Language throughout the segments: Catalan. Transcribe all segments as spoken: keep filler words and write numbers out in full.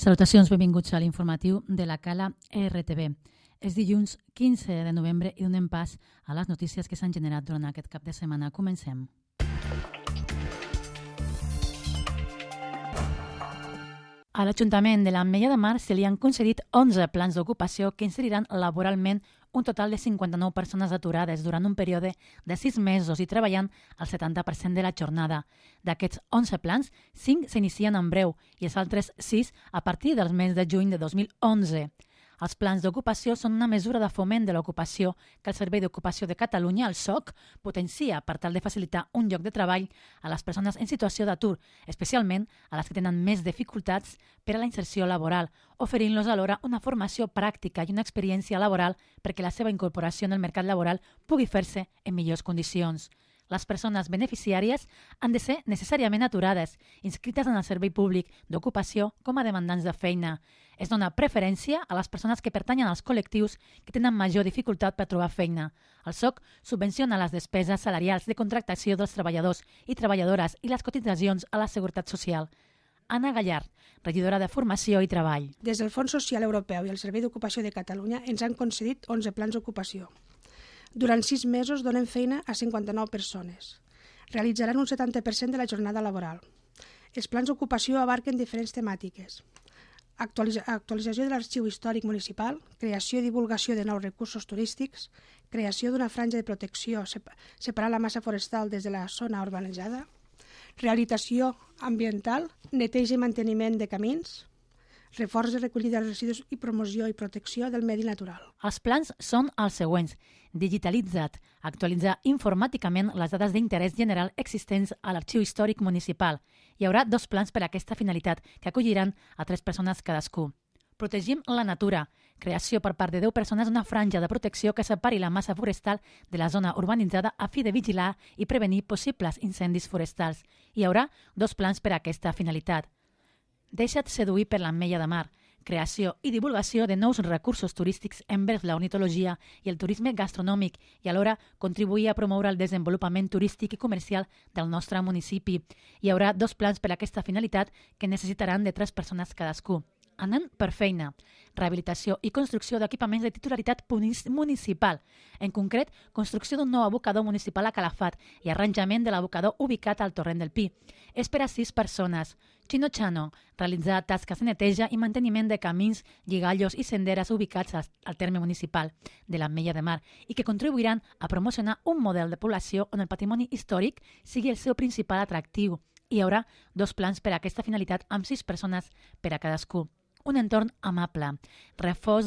Salutacions, benvinguts a l'informatiu de la Cala R T V. És dilluns quinze de novembre i donem pas a les notícies que s'han generat durant aquest cap de setmana. Comencem. A l'Ajuntament de l'Ametlla de Mar se li han concedit onze plans d'ocupació que inseriran laboralment un total de cinquanta-nou persones aturades durant un període de sis mesos i treballant el setanta per cent de la jornada. D'aquests onze plans, cinc s'inicien en breu i els altres sis a partir del mes de juny de dos mil onze. Els plans d'ocupació són una mesura de foment de l'ocupació que el Servei d'Ocupació de Catalunya, el S O C, potencia per tal de facilitar un lloc de treball a les persones en situació d'atur, especialment a les que tenen més dificultats per a la inserció laboral, oferint-los alhora una formació pràctica i una experiència laboral perquè la seva incorporació en el mercat laboral pugui fer-se en millors condicions. Les persones beneficiàries han de ser necessàriament aturades, inscrites en el Servei Públic d'Ocupació com a demandants de feina. Es dona preferència a les persones que pertanyen als col·lectius que tenen major dificultat per trobar feina. El S O C subvenciona les despeses salarials de contractació dels treballadors i treballadores i les cotitzacions a la Seguretat Social. Anna Gallard, regidora de Formació i Treball. Des del Fons Social Europeu i el Servei d'Ocupació de Catalunya ens han concedit onze plans d'ocupació. Durant sis mesos donen feina a cinquanta-nou persones. Realitzaran un setanta per cent de la jornada laboral. Els plans d'ocupació abarquen diferents temàtiques. Actualitza- actualització de l'arxiu històric municipal, creació i divulgació de nous recursos turístics, creació d'una franja de protecció sep- separant la massa forestal des de la zona urbanitzada, rehabilitació ambiental, neteja i manteniment de camins, reforç de recollida de residus i promoció i protecció del medi natural. Els plans són els següents. Digitalitzat, actualitzar informàticament les dades d'interès general existents a l'arxiu històric municipal. Hi haurà dos plans per a aquesta finalitat, que acolliran a tres persones cadascú. Protegim la natura. Creació per part de deu persones d'una franja de protecció que separi la massa forestal de la zona urbanitzada a fi de vigilar i prevenir possibles incendis forestals. Hi haurà dos plans per a aquesta finalitat. Deixa't seduir per l'Ametlla de Mar. Creació i divulgació de nous recursos turístics envers la ornitologia i el turisme gastronòmic i alhora contribuir a promoure el desenvolupament turístic i comercial del nostre municipi. Hi haurà dos plans per a aquesta finalitat que necessitaran de tres persones cadascú. Anant per feina, rehabilitació i construcció d'equipaments de titularitat municipal. En concret, construcció d'un nou abocador municipal a Calafat i arranjament de l'abocador ubicat al Torrent del Pi. És per a sis persones. Chino Chano, realitzar tasques de neteja i manteniment de camins, lligallos i senderes ubicats al terme municipal de l'Ametlla de Mar i que contribuiran a promocionar un model de població on el patrimoni històric sigui el seu principal atractiu. Hi haurà dos plans per a aquesta finalitat amb sis persones per a cadascú. Un entorn amable, reforç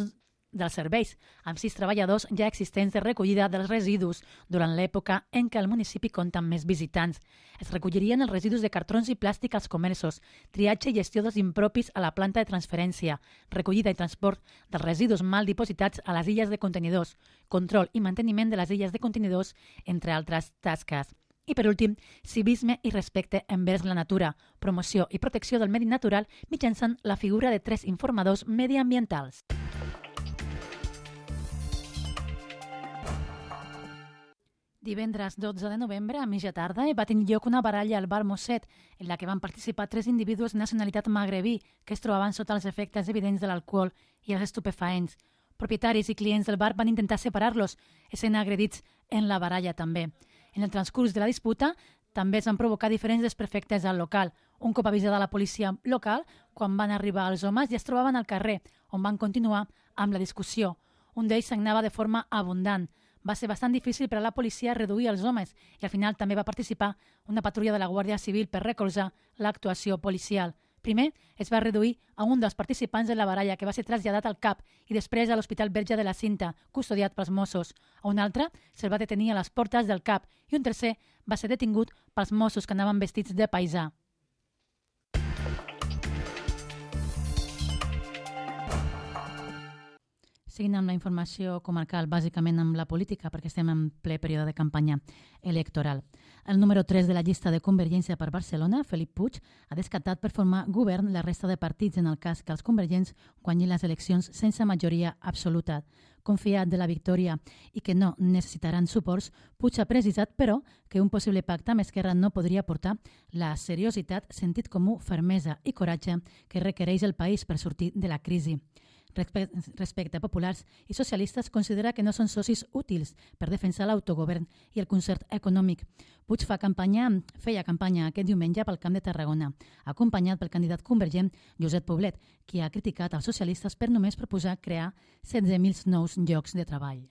dels serveis, amb sis treballadors ja existents de recollida dels residus durant l'època en què el municipi compta amb més visitants. Es recollirien els residus de cartrons i plàstic als comerços, triatge i gestió dels impropis a la planta de transferència, recollida i transport dels residus mal dipositats a les illes de contenidors, control i manteniment de les illes de contenidors, entre altres tasques. I per últim, civisme i respecte envers la natura, promoció i protecció del medi natural mitjançant la figura de tres informadors mediambientals. Divendres dotze de novembre, a mitja tarda, va tenir lloc una baralla al bar Mosset, en la que van participar tres individus de nacionalitat magrebí que es trobaven sota els efectes evidents de l'alcohol i els estupefaents. Propietaris i clients del bar van intentar separar-los, essent agredits en la baralla també. En el transcurs de la disputa, també es van provocar diferents desperfectes al local. Un cop avisada la policia local, quan van arribar els homes ja es trobaven al carrer, on van continuar amb la discussió. Un d'ells sagnava de forma abundant. Va ser bastant difícil per a la policia reduir els homes i al final també va participar una patrulla de la Guàrdia Civil per recolzar l'actuació policial. Primer es va reduir a un dels participants de la baralla que va ser traslladat al C A P i després a l'Hospital Verge de la Cinta, custodiat pels Mossos. A un altre se'l va detenir a les portes del C A P i un tercer va ser detingut pels Mossos que anaven vestits de paisà. Seguint amb la informació comarcal, bàsicament amb la política, perquè estem en ple període de campanya electoral. El número tres de la llista de Convergència per Barcelona, Felip Puig, ha descartat per formar govern la resta de partits en el cas que els convergents guanyin les eleccions sense majoria absoluta. Confiat de la victòria i que no necessitaran suports, Puig ha precisat, però, que un possible pacte amb Esquerra no podria portar la seriositat, sentit comú, fermesa i coratge que requereix el país per sortir de la crisi. Respecte a populars i socialistes, considera que no són socis útils per defensar l'autogovern i el concert econòmic. Puig fa campanya, feia campanya aquest diumenge pel Camp de Tarragona, acompanyat pel candidat convergent Josep Poblet, qui ha criticat els socialistes per només proposar crear setze mil nous llocs de treball.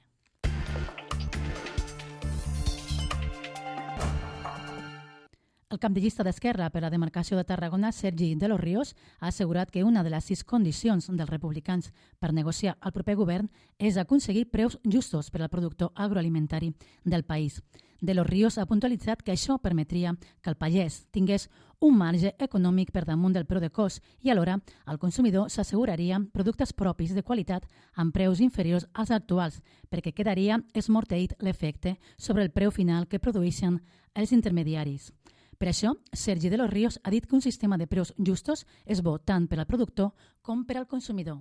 El cap de llista d'Esquerra per a la demarcació de Tarragona, Sergi de los Ríos, ha assegurat que una de les sis condicions dels republicans per negociar el proper govern és aconseguir preus justos per al productor agroalimentari del país. De los Ríos ha puntualitzat que això permetria que el pagès tingués un marge econòmic per damunt del preu de cost i alhora el consumidor s'asseguraria productes propis de qualitat amb preus inferiors als actuals, perquè quedaria esmorteït l'efecte sobre el preu final que produeixen els intermediaris. Per això, Sergi de los Ríos ha dit que un sistema de preus justos és bo tant per al productor com per al consumidor.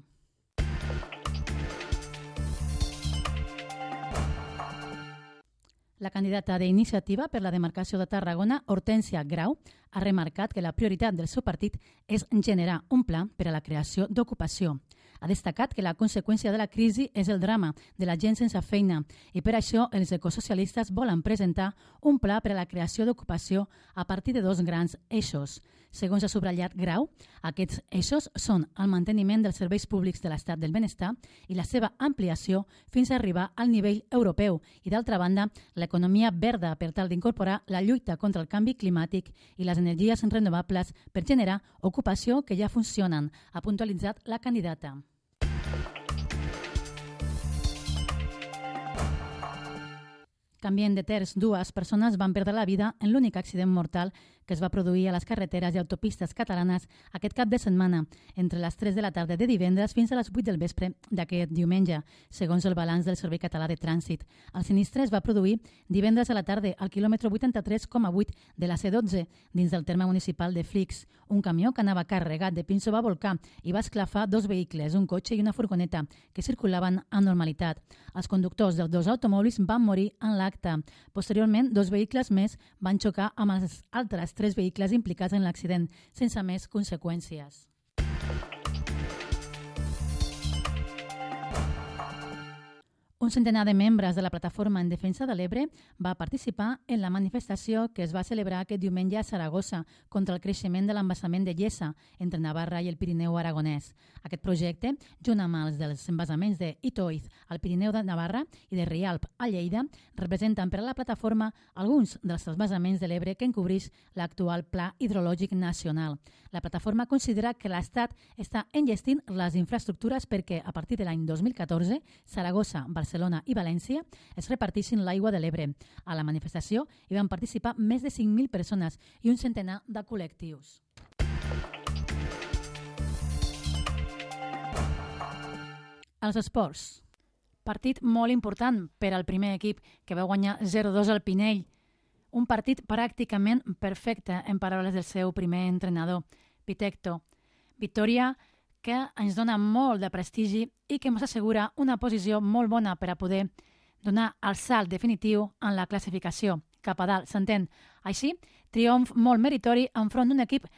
La candidata d'Iniciativa per la demarcació de Tarragona, Hortènsia Grau, ha remarcat que la prioritat del seu partit és generar un pla per a la creació d'ocupació. Ha destacat que la conseqüència de la crisi és el drama de la gent sense feina i per això els ecosocialistes volen presentar un pla per a la creació d'ocupació a partir de dos grans eixos. Segons ha subratllat Grau, aquests eixos són el manteniment dels serveis públics de l'estat del benestar i la seva ampliació fins a arribar al nivell europeu i, d'altra banda, l'economia verda per tal d'incorporar la lluita contra el canvi climàtic i les energies renovables per generar ocupació que ja funcionen, ha puntualitzat la candidata. Canvient de terç, dues persones van perdre la vida en l'únic accident mortal que es va produir a les carreteres i autopistes catalanes aquest cap de setmana, entre les tres de la tarda de divendres fins a les vuit del vespre d'aquest diumenge, segons el balanç del Servei Català de Trànsit. El sinistre es va produir divendres a la tarda al quilòmetre vuitanta-tres coma vuit de la C dotze, dins del terme municipal de Flix. Un camió que anava carregat de pinso va volcar i va esclafar dos vehicles, un cotxe i una furgoneta, que circulaven amb normalitat. Els conductors dels dos automòbils van morir en l'acte. Posteriorment, dos vehicles més van xocar amb els altres tres vehicles implicats en l'accident, sense més conseqüències. Un centenar de membres de la Plataforma en Defensa de l'Ebre va participar en la manifestació que es va celebrar aquest diumenge a Saragossa contra el creixement de l'embassament de Llesa entre Navarra i el Pirineu aragonès. Aquest projecte, junt amb els dels embassaments d'Itoiz al Pirineu de Navarra i de Rialp a Lleida, representen per a la plataforma alguns dels embassaments de l'Ebre que encobreix l'actual Pla Hidrològic Nacional. La plataforma considera que l'Estat està enllestint les infraestructures perquè, a partir de l'any dos mil catorze, Saragossa, Barcelona i València es repartissin l'aigua de l'Ebre. A la manifestació hi van participar més de cinc mil persones i un centenar de col·lectius. Els esports. Partit molt important per al primer equip, que va guanyar zero dos al Pinell. Un partit pràcticament perfecte, en paraules del seu primer entrenador, Pitecto. Victòria que ens dona molt de prestigi i que ens assegura una posició molt bona per a poder donar el salt definitiu en la classificació. Cap a dalt, s'entén. Així, triomf molt meritori enfront d'un equip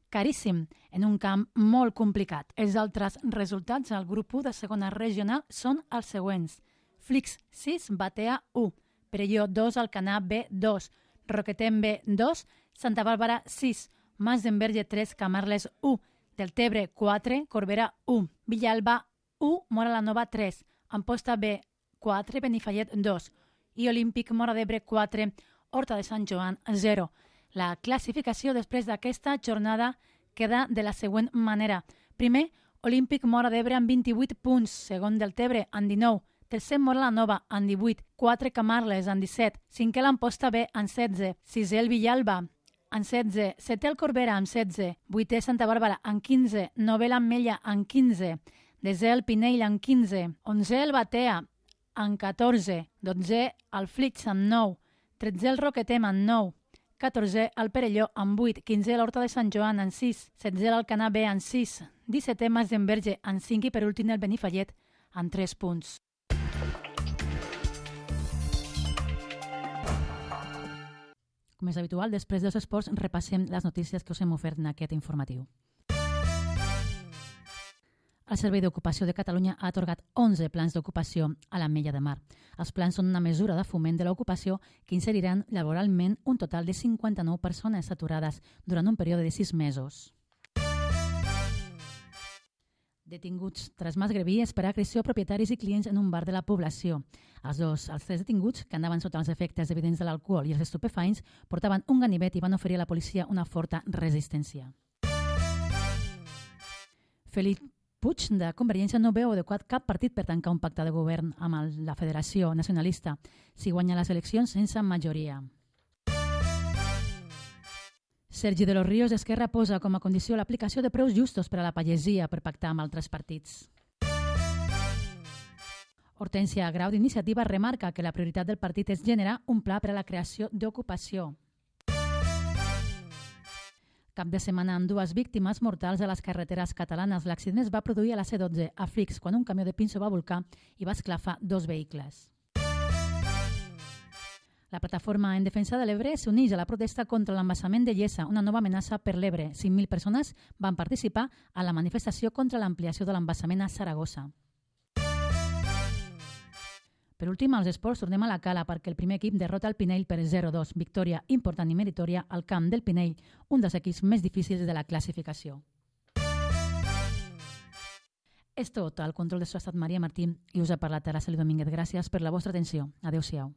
caríssim en un camp molt complicat. Els altres resultats al grup u de segona regional són els següents. Flix sis, Batea u, Perelló dos, Alcanar B dos, Roquetem B dos, Santa Bàrbara sis, Mas d'Enverge tres, Camarles u, Deltebre quatre, Corbera u, Villalba u, Mora la Nova tres, Amposta B quatre, Benifallet dos i Olímpic Mora d'Ebre quatre, Horta de Sant Joan zero. La classificació després d'aquesta jornada queda de la següent manera. Primer, Olímpic Mora d'Ebre amb vint-i-vuit punts, segon Deltebre amb dinou, tercer Mora la Nova amb divuit, quatre Camarles amb disset, cinquè l'Amposta B amb setze, sisè el Villalba amb setze, setè el Corbera amb setze, vuitè Santa Bàrbara amb quinze, novè l'Ametlla amb quinze, Desè el Pinell amb quinze, onzè el Batea amb catorze, dotzè el Flix amb nou, tretzè el Roquetem amb nou, catorzè el Perelló amb vuit, quinzè l'Horta de Sant Joan amb sis, setzè l'Alcanar B amb sis, dissetè Masdenverge amb cinc i per últim el Benifallet amb tres punts. Com és habitual, després dels esports repassem les notícies que us hem ofert en aquest informatiu. El Servei d'Ocupació de Catalunya ha atorgat onze plans d'ocupació a l'Ametlla de Mar. Els plans són una mesura de foment de l'ocupació que inseriran laboralment un total de cinquanta-nou persones aturades durant un període de sis mesos. Detinguts tras masgrevies per agressió a propietaris i clients en un bar de la població. Els dos, els tres detinguts, que andaven sota els efectes evidents de l'alcohol i els estupefaents, portaven un ganivet i van oferir a la policia una forta resistència. Felip Puig, de Convergència, no veu adequat cap partit per tancar un pacte de govern amb el, la Federació Nacionalista si guanya les eleccions sense majoria. Sergi de los Ríos d'Esquerra posa com a condició l'aplicació de preus justos per a la pagesia per pactar amb altres partits. Hortènsia Grau d'Iniciativa remarca que la prioritat del partit és generar un pla per a la creació d'ocupació. Cap de setmana amb dues víctimes mortals a les carreteres catalanes. L'accident es va produir a la C dotze a Flix quan un camió de pinso va volcar i va esclafar dos vehicles. La plataforma en defensa de l'Ebre s'uneix a la protesta contra l'embassament de Llesa, una nova amenaça per l'Ebre. cinc mil persones van participar a la manifestació contra l'ampliació de l'embassament a Saragossa. Per últim, als esports tornem a la Cala perquè el primer equip derrota el Pinell per zero dos. Victòria important i meritòria al camp del Pinell, un dels equips més difícils de la classificació. És tot. Al control de so ha estat Maria Martí i us ha parlat Araceli Domínguez. Gràcies per la vostra atenció. Adéu-siau.